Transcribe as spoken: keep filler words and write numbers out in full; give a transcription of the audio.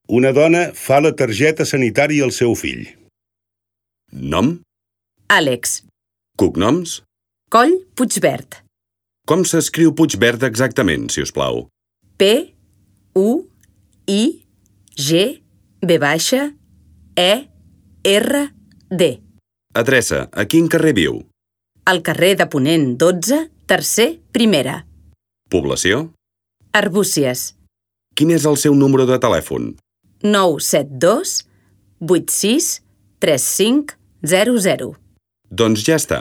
Una dona fa la targeta sanitària al seu fill. Nom? Àlex. Cognoms? Coll Puigverd. Com s'escriu Puigverd exactament, si us plau? P, U, I, G, V baixa, E, R, D. Adreça, a quin carrer viu? Al carrer de Ponent dotze, tercer, primera. Població? Arbúcies. Quin és el seu número de telèfon? nou set dos vuit sis tres cinc zero zero. Doncs ja està.